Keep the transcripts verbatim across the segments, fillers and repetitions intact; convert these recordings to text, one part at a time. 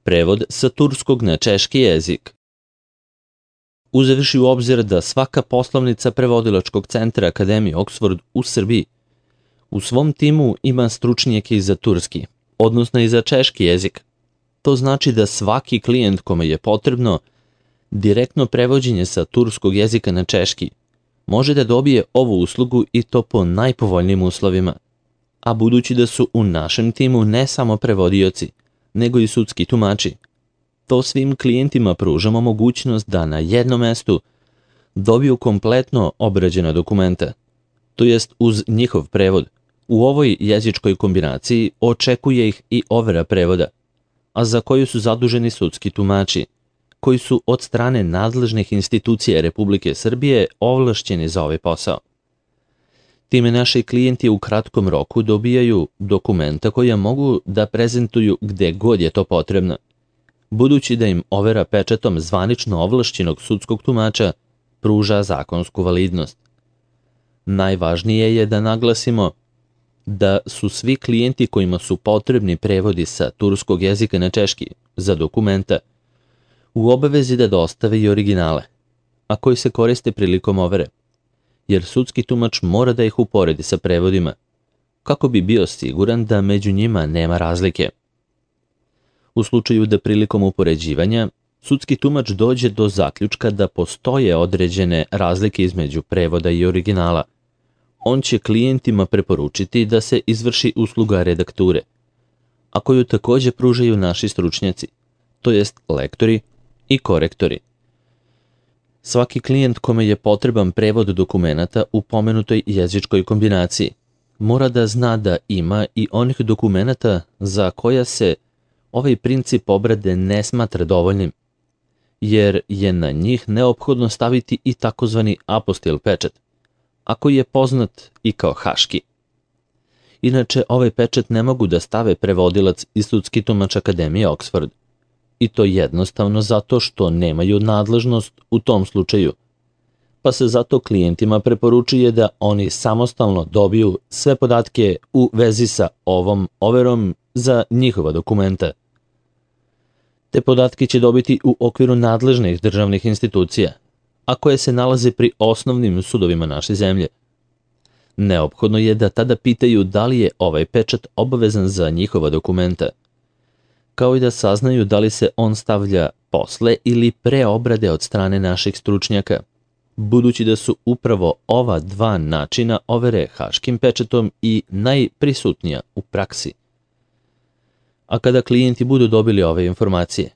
Prevod sa turskog na češki jezik. Uzevši u obzir da svaka poslovnica prevodilačkog centra Akademije Oxford u Srbiji u svom timu ima stručnjake i za turski, odnosno i za češki jezik, to znači da svaki klijent kome je potrebno direktno prevođenje sa turskog jezika na češki može da dobije ovu uslugu i to po najpovoljnijim uslovima. A budući da su u našem timu ne samo prevodioci, nego i sudski tumači, to svim klijentima pružamo mogućnost da na jednom mestu dobiju kompletno obrađena dokumenta, to jest uz njihov prevod. U ovoj jezičkoj kombinaciji očekuje ih i overa prevoda, a za koju su zaduženi sudski tumači, koji su od strane nadležnih institucija Republike Srbije ovlašćeni za ovaj posao. Time naši klijenti u kratkom roku dobijaju dokumenta koja mogu da prezentuju gde god je to potrebno, budući da im overa pečatom zvanično ovlašćenog sudskog tumača pruža zakonsku validnost. Najvažnije je da naglasimo da su svi klijenti kojima su potrebni prevodi sa turskog jezika na češki za dokumenta u obavezi da dostave i originale, a koji se koriste prilikom overe, jer sudski tumač mora da ih uporedi sa prevodima, kako bi bio siguran da među njima nema razlike. U slučaju da prilikom upoređivanja sudski tumač dođe do zaključka da postoje određene razlike između prevoda i originala, on će klijentima preporučiti da se izvrši usluga redakture, a koju takođe pružaju naši stručnjaci, to jest lektori i korektori. Svaki klijent kome je potreban prevod dokumenata u pomenutoj jezičkoj kombinaciji mora da zna da ima i onih dokumenata za koja se ovaj princip obrade ne smatra dovoljnim, jer je na njih neophodno staviti i takozvani apostil pečat, a koji je poznat i kao haški. Inače, ovaj pečat ne mogu da stave prevodilac i sudski tumač Akademije Oxford, i to jednostavno zato što nemaju nadležnost u tom slučaju, pa se zato klijentima preporučuje da oni samostalno dobiju sve podatke u vezi sa ovom overom za njihova dokumenta. Te podatke će dobiti u okviru nadležnih državnih institucija, a koje se nalaze pri osnovnim sudovima naše zemlje. Neophodno je da tada pitaju da li je ovaj pečat obavezan za njihova dokumenta, kao i da saznaju da li se on stavlja posle ili pre obrade od strane naših stručnjaka, budući da su upravo ova dva načina overe haškim pečatom i najprisutnija u praksi. A kada klijenti budu dobili ove informacije,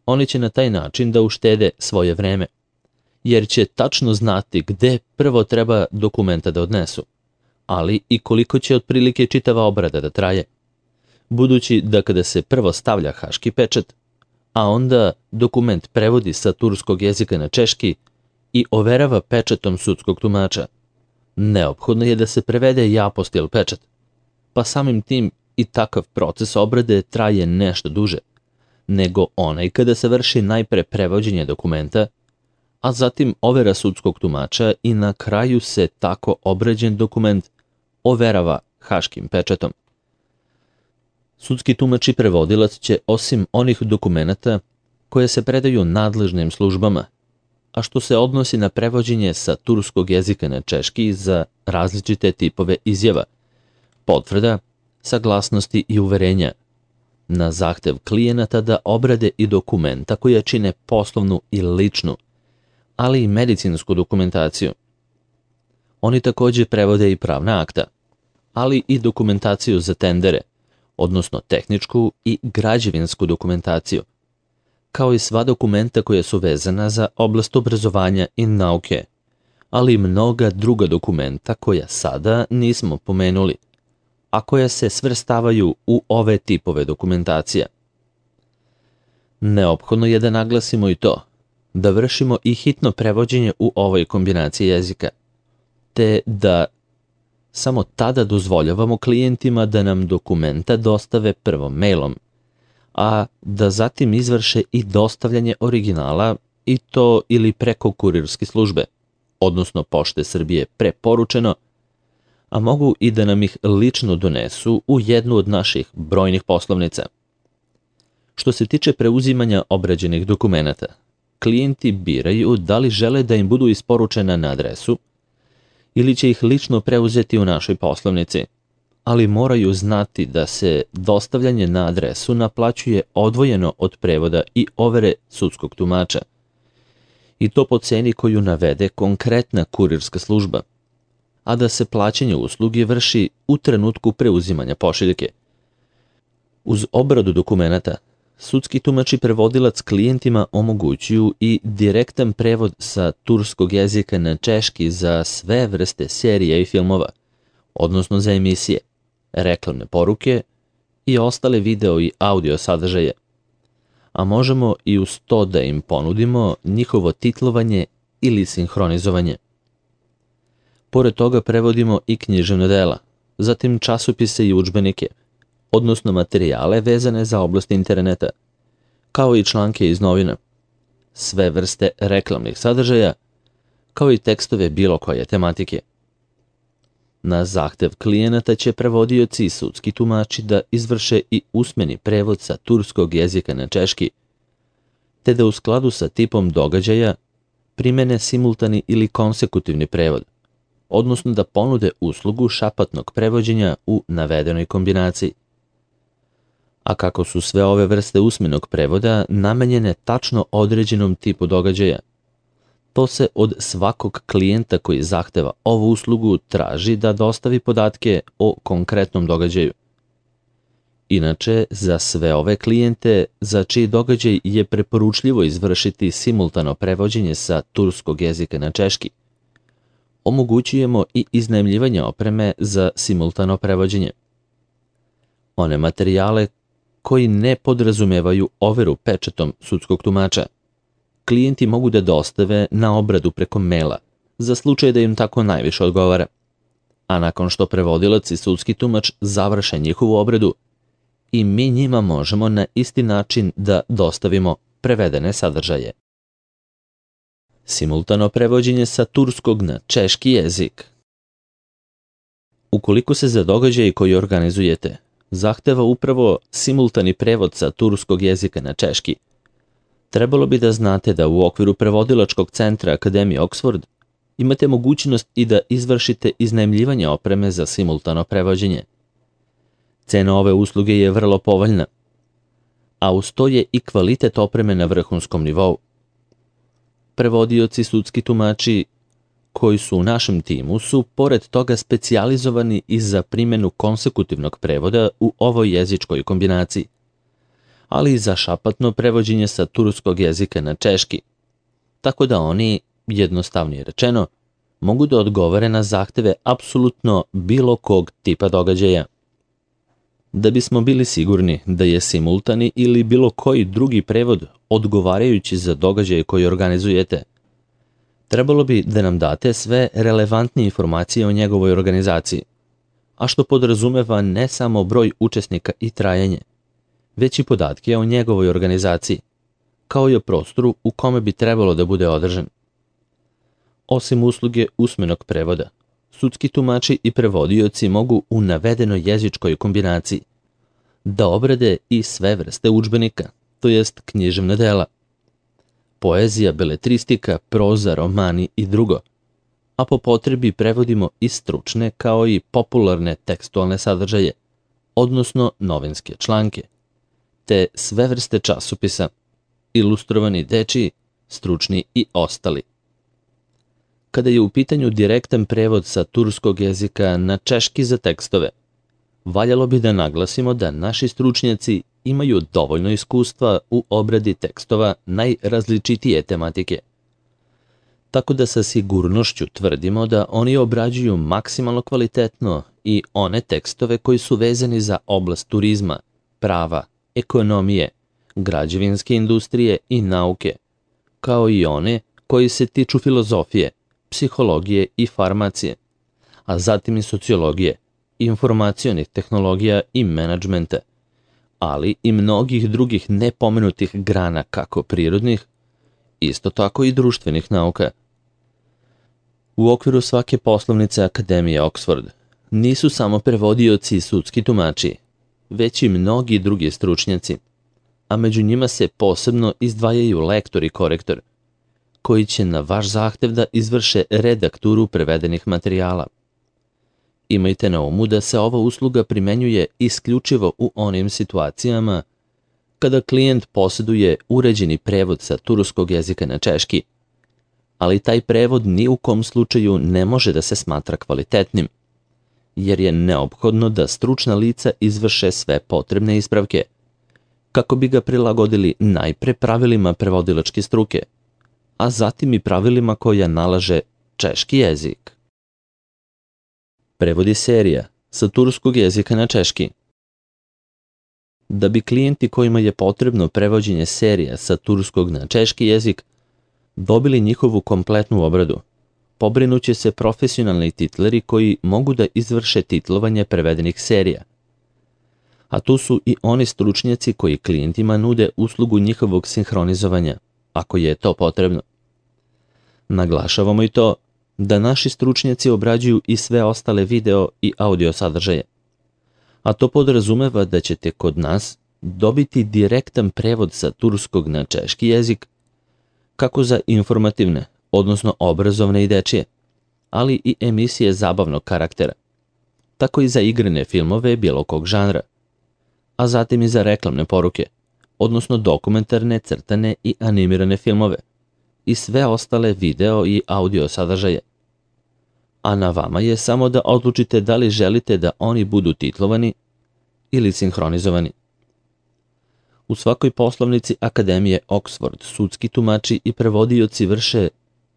oni će na taj način da uštede svoje vreme, jer će tačno znati gde prvo treba dokumenta da odnesu, ali i koliko će otprilike čitava obrada da traje, budući da kada se prvo stavlja haški pečat, a onda dokument prevodi sa turskog jezika na češki i overava pečatom sudskog tumača, neophodno je da se prevede i apostil pečat, pa samim tim i takav proces obrade traje nešto duže, nego onaj kada se vrši najpre prevođenje dokumenta, a zatim overa sudskog tumača i na kraju se tako obrađen dokument overava haškim pečatom. Sudski tumač i prevodilac će osim onih dokumenata koje se predaju nadležnim službama, a što se odnosi na prevođenje sa turskog jezika na češki za različite tipove izjava, potvrda, saglasnosti i uverenja, na zahtev klijenata da obrade i dokumenta koje čine poslovnu i ličnu, ali i medicinsku dokumentaciju. Oni takođe prevode i pravna akta, ali i dokumentaciju za tendere, odnosno tehničku i građevinsku dokumentaciju, kao i sva dokumenta koja su vezana za oblast obrazovanja i nauke, ali i mnoga druga dokumenta koja sada nismo pomenuli, a koja se svrstavaju u ove tipove dokumentacija. Neophodno je da naglasimo i to, da vršimo i hitno prevođenje u ovoj kombinaciji jezika, te da samo tada dozvoljavamo klijentima da nam dokumenta dostave prvo mailom, a da zatim izvrše i dostavljanje originala i to ili preko kurirske službe, odnosno Pošte Srbije preporučeno, a mogu i da nam ih lično donesu u jednu od naših brojnih poslovnica. Što se tiče preuzimanja obrađenih dokumenata, klijenti biraju da li žele da im budu isporučena na adresu ili će ih lično preuzeti u našoj poslovnici, ali moraju znati da se dostavljanje na adresu naplaćuje odvojeno od prevoda i overe sudskog tumača, i to po ceni koju navede konkretna kurirska služba, a da se plaćanje usluge vrši u trenutku preuzimanja pošiljke. Uz obradu dokumenata, sudski tumač i prevodilac klijentima omogućuju i direktan prevod sa turskog jezika na češki za sve vrste serija i filmova, odnosno za emisije, reklamne poruke i ostale video i audio sadržaje, a možemo i uz to da im ponudimo njihovo titlovanje ili sinhronizovanje. Pored toga prevodimo i književna dela, zatim časopise i udžbenike, odnosno materijale vezane za oblast interneta, kao i članke iz novina, sve vrste reklamnih sadržaja, kao i tekstove bilo koje tematike. Na zahtev klijenata će prevodioci i sudski tumači da izvrše i usmeni prevod sa turskog jezika na češki, te da u skladu sa tipom događaja primene simultani ili konsekutivni prevod, odnosno da ponude uslugu šapatnog prevođenja u navedenoj kombinaciji. A kako su sve ove vrste usmenog prevoda namenjene tačno određenom tipu događaja, to se od svakog klijenta koji zahteva ovu uslugu traži da dostavi podatke o konkretnom događaju. Inače, za sve ove klijente za čiji događaj je preporučljivo izvršiti simultano prevođenje sa turskog jezika na češki, omogućujemo i iznajmljivanje opreme za simultano prevođenje. One materijale koji ne podrazumevaju overu pečatom sudskog tumača, klijenti mogu da dostave na obradu preko maila, za slučaj da im tako najviše odgovara. A nakon što prevodilac i sudski tumač završe njihovu obradu, i mi njima možemo na isti način da dostavimo prevedene sadržaje. Simultano prevođenje sa turskog na češki jezik. Ukoliko se za događaj koji organizujete zahteva upravo simultani prevod sa turskog jezika na češki, trebalo bi da znate da u okviru prevodilačkog centra Akademije Oxford imate mogućnost i da izvršite iznajmljivanje opreme za simultano prevođenje. Cena ove usluge je vrlo povoljna, a uz to je i kvalitet opreme na vrhunskom nivou. Prevodioci, sudski tumači koji su u našem timu su pored toga specijalizovani i za primjenu konsekutivnog prevoda u ovoj jezičkoj kombinaciji, ali i za šapatno prevođenje sa turskog jezika na češki, tako da oni, jednostavnije rečeno, mogu da odgovore na zahteve apsolutno bilo kog tipa događaja. Da bismo bili sigurni da je simultani ili bilo koji drugi prevod odgovarajući za događaje koji organizujete, trebalo bi da nam date sve relevantne informacije o njegovoj organizaciji, a što podrazumeva ne samo broj učesnika i trajanje, već i podatke o njegovoj organizaciji, kao i o prostoru u kome bi trebalo da bude održan. Osim usluge usmenog prevoda, sudski tumači i prevodioci mogu u navedenoj jezičkoj kombinaciji da obrade i sve vrste udžbenika, to jest književna dela, poezija, beletristika, proza, romani i drugo, a po potrebi prevodimo i stručne kao i popularne tekstualne sadržaje, odnosno novinske članke, te sve vrste časopisa, ilustrovani dečiji, stručni i ostali. Kada je u pitanju direktan prevod sa turskog jezika na češki za tekstove, valjalo bi da naglasimo da naši stručnjaci imaju dovoljno iskustva u obradi tekstova najrazličitije tematike, tako da sa sigurnošću tvrdimo da oni obrađuju maksimalno kvalitetno i one tekstove koji su vezani za oblast turizma, prava, ekonomije, građevinske industrije i nauke, kao i one koji se tiču filozofije, psihologije i farmacije, a zatim i sociologije, informacionih tehnologija i menadžmenta, ali i mnogih drugih nepomenutih grana kako prirodnih, isto tako i društvenih nauka. U okviru svake poslovnice Akademije Oxford nisu samo prevodioci i sudski tumači, već i mnogi drugi stručnjaci, a među njima se posebno izdvajaju lektor i korektor, koji će na vaš zahtev da izvrše redakturu prevedenih materijala. Imajte na umu da se ova usluga primenjuje isključivo u onim situacijama kada klijent posjeduje uređeni prevod sa turskog jezika na češki, ali taj prevod ni u kom slučaju ne može da se smatra kvalitetnim, jer je neophodno da stručna lica izvrše sve potrebne ispravke, kako bi ga prilagodili najpre pravilima prevodilačke struke, a zatim i pravilima koja nalaže češki jezik. Prevodi serija sa turskog jezika na češki. Da bi klijenti kojima je potrebno prevođenje serija sa turskog na češki jezik dobili njihovu kompletnu obradu, pobrinuće se profesionalni titleri koji mogu da izvrše titlovanje prevedenih serija. A tu su i oni stručnjaci koji klijentima nude uslugu njihovog sinhronizovanja, ako je to potrebno. Naglašavamo i to da naši stručnjaci obrađuju i sve ostale video i audio sadržaje, a to podrazumeva da ćete kod nas dobiti direktan prevod sa turskog na češki jezik, kako za informativne, odnosno obrazovne i dečije, ali i emisije zabavnog karaktera, tako i za igrane filmove bilo kog žanra, a zatim i za reklamne poruke, odnosno dokumentarne, crtane i animirane filmove i sve ostale video i audio sadržaje. A na vama je samo da odlučite da li želite da oni budu titlovani ili sinhronizovani. U svakoj poslovnici Akademije Oxford sudski tumači i prevodioci vrše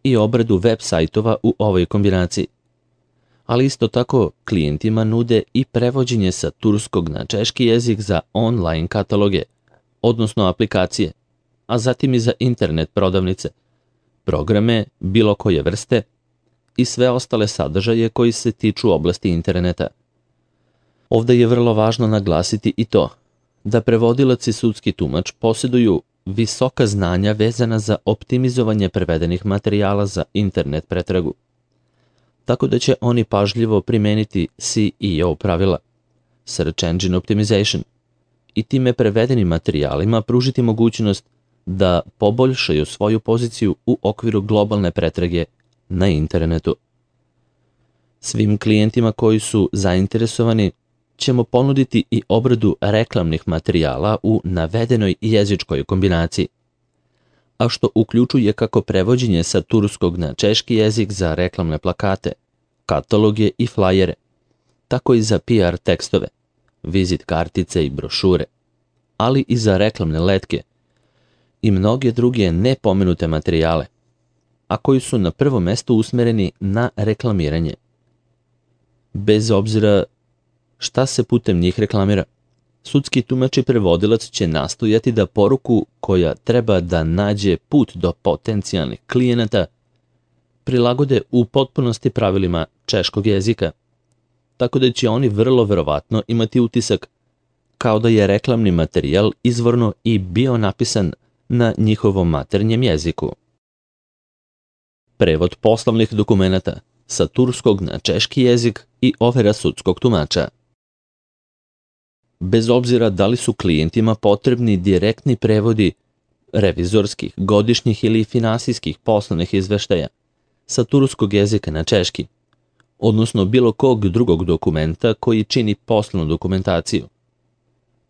i obradu web sajtova u ovoj kombinaciji, ali isto tako klijentima nude i prevođenje sa turskog na češki jezik za online kataloge, odnosno aplikacije, a zatim i za internet prodavnice, programe bilo koje vrste i sve ostale sadržaje koji se tiču oblasti interneta. Ovdje je vrlo važno naglasiti i to da prevodilac i sudski tumač posjeduju visoka znanja vezana za optimizovanje prevedenih materijala za internet pretragu, tako da će oni pažljivo primeniti C E O pravila, Search Engine Optimization, i time prevedenim materijalima pružiti mogućnost da poboljšaju svoju poziciju u okviru globalne pretrage na internetu. Svim klijentima koji su zainteresovani ćemo ponuditi i obradu reklamnih materijala u navedenoj jezičkoj kombinaciji, a što uključuje kako prevođenje sa turskog na češki jezik za reklamne plakate, kataloge i flajere, tako i za P R tekstove, vizit kartice i brošure, ali i za reklamne letke i mnoge druge nepomenute materijale, a koji su na prvom mestu usmereni na reklamiranje. Bez obzira šta se putem njih reklamira, sudski tumač i prevodilac će nastojati da poruku koja treba da nađe put do potencijalnih klijenata prilagode u potpunosti pravilima češkog jezika, tako da će oni vrlo verovatno imati utisak kao da je reklamni materijal izvorno i bio napisan na njihovom maternjem jeziku. Prevod poslovnih dokumenata sa turskog na češki jezik i overa sudskog tumača. Bez obzira da li su klijentima potrebni direktni prevodi revizorskih, godišnjih ili finansijskih poslovnih izveštaja sa turskog jezika na češki, odnosno bilo kog drugog dokumenta koji čini poslovnu dokumentaciju,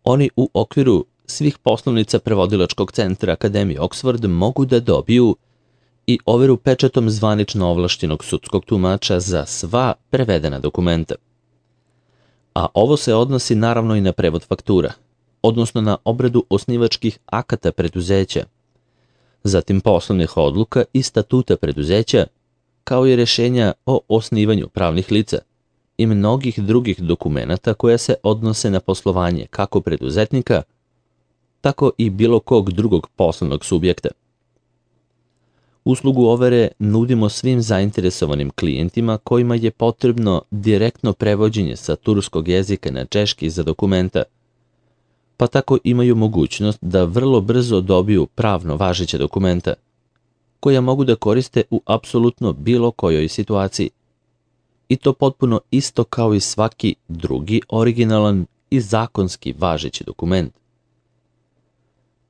oni u okviru svih poslovnica prevodilačkog centra Akademije Oxford mogu da dobiju i overu pečatom zvanično ovlašćenog sudskog tumača za sva prevedena dokumenta. A ovo se odnosi naravno i na prevod faktura, odnosno na obradu osnivačkih akata preduzeća, zatim poslovnih odluka i statuta preduzeća, kao i rješenja o osnivanju pravnih lica i mnogih drugih dokumenata koja se odnose na poslovanje kako preduzetnika, tako i bilo kog drugog poslovnog subjekta. Uslugu overe nudimo svim zainteresovanim klijentima kojima je potrebno direktno prevođenje sa turskog jezika na češki za dokumenta, pa tako imaju mogućnost da vrlo brzo dobiju pravno važeće dokumenta, koja mogu da koriste u apsolutno bilo kojoj situaciji, i to potpuno isto kao i svaki drugi originalan i zakonski važeći dokument.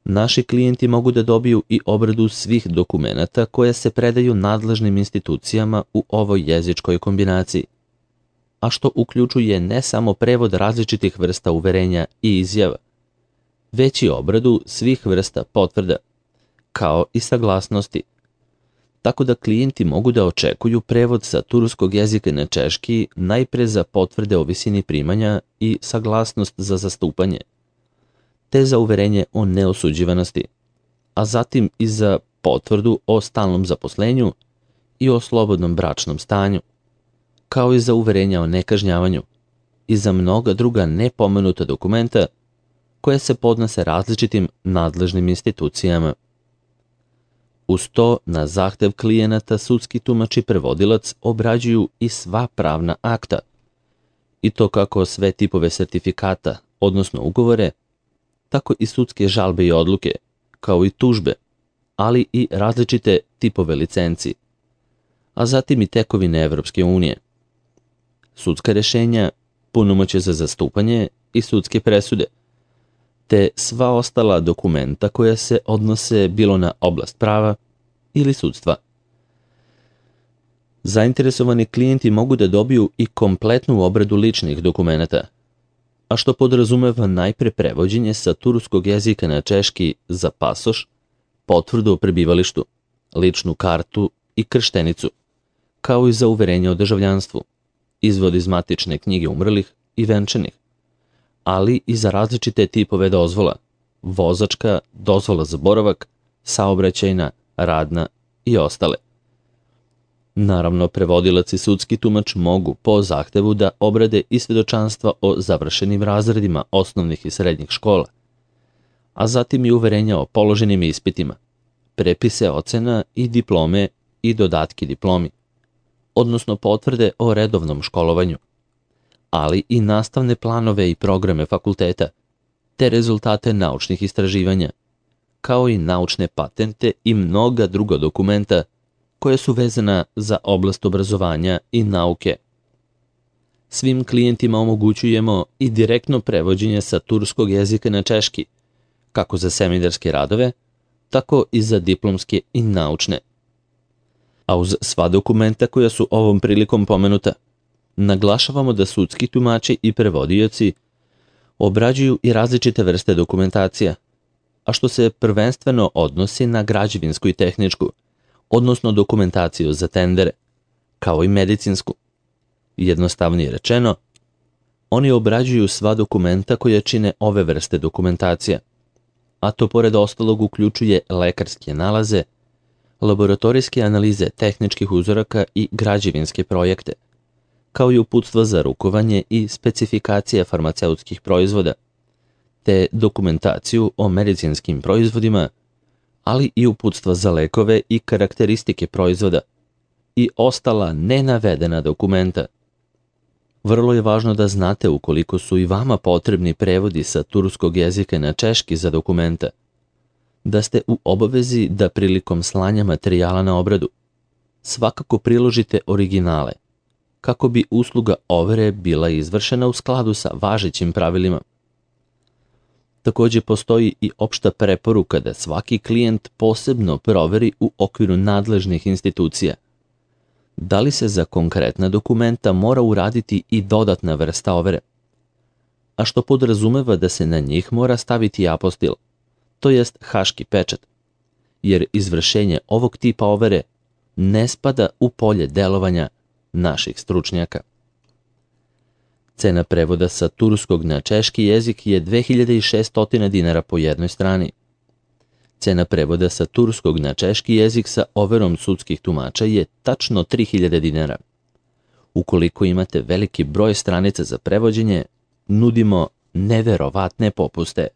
Naši klijenti mogu da dobiju i obradu svih dokumenata koje se predaju nadležnim institucijama u ovoj jezičkoj kombinaciji, a što uključuje ne samo prevod različitih vrsta uverenja i izjava, već i obradu svih vrsta potvrda, kao i saglasnosti, tako da klijenti mogu da očekuju prevod sa turskog jezika na češki najpre za potvrde o visini primanja i saglasnost za zastupanje, te za uverenje o neosuđivanosti, a zatim i za potvrdu o stalnom zaposlenju i o slobodnom bračnom stanju, kao i za uverenja o nekažnjavanju i za mnoga druga nepomenuta dokumenta koje se podnose različitim nadležnim institucijama. Uz to, na zahtev klijenata, sudski tumač i prevodilac obrađuju i sva pravna akta, i to kako sve tipove sertifikata, odnosno ugovore, tako i sudske žalbe i odluke, kao i tužbe, ali i različite tipove licenci, a zatim i tekovine Evropske unije, sudska rešenja, punomoćje za zastupanje i sudske presude, te sva ostala dokumenta koja se odnose bilo na oblast prava ili sudstva. Zainteresovani klijenti mogu da dobiju i kompletnu obradu ličnih dokumenata, a što podrazumeva najpre prevođenje sa turskog jezika na češki za pasoš, potvrdu o prebivalištu, ličnu kartu i krštenicu, kao i za uverenje o državljanstvu, izvod iz matične knjige umrlih i venčanih, ali i za različite tipove dozvola, vozačka, dozvola za boravak, saobraćajna, radna i ostale. Naravno, prevodilac i sudski tumač mogu po zahtevu da obrade i svedočanstva o završenim razredima osnovnih i srednjih škola, a zatim i uverenja o položenim ispitima, prepise ocena i diplome i dodatki diplomi, odnosno potvrde o redovnom školovanju, ali i nastavne planove i programe fakulteta, te rezultate naučnih istraživanja, kao i naučne patente i mnoga druga dokumenta koje su vezana za oblast obrazovanja i nauke. Svim klijentima omogućujemo i direktno prevođenje sa turskog jezika na češki, kako za seminarske radove, tako i za diplomske i naučne. A uz sva dokumenta koja su ovom prilikom pomenuta, naglašavamo da sudski tumači i prevodioci obrađuju i različite vrste dokumentacija, a što se prvenstveno odnosi na građevinsku i tehničku, odnosno dokumentaciju za tendere, kao i medicinsku. Jednostavnije rečeno, oni obrađuju sva dokumenta koja čine ove vrste dokumentacija, a to pored ostalog uključuje lekarske nalaze, laboratorijske analize tehničkih uzoraka i građevinske projekte, kao i uputstva za rukovanje i specifikacije farmaceutskih proizvoda, te dokumentaciju o medicinskim proizvodima, ali i uputstva za lekove i karakteristike proizvoda i ostala nenavedena dokumenta. Vrlo je važno da znate ukoliko su i vama potrebni prevodi sa turskog jezika na češki za dokumenta, da ste u obavezi da prilikom slanja materijala na obradu svakako priložite originale, kako bi usluga overe bila izvršena u skladu sa važećim pravilima. Takođe postoji i opšta preporuka da svaki klijent posebno proveri u okviru nadležnih institucija da li se za konkretna dokumenta mora uraditi i dodatna vrsta overe, a što podrazumeva da se na njih mora staviti apostil, to jest haški pečat, jer izvršenje ovog tipa overe ne spada u polje delovanja naših stručnjaka. Cena prevoda sa turskog na češki jezik je dve hiljade šesto dinara po jednoj strani. Cena prevoda sa turskog na češki jezik sa overom sudskih tumača je tačno tri hiljade dinara. Ukoliko imate veliki broj stranica za prevođenje, nudimo neverovatne popuste.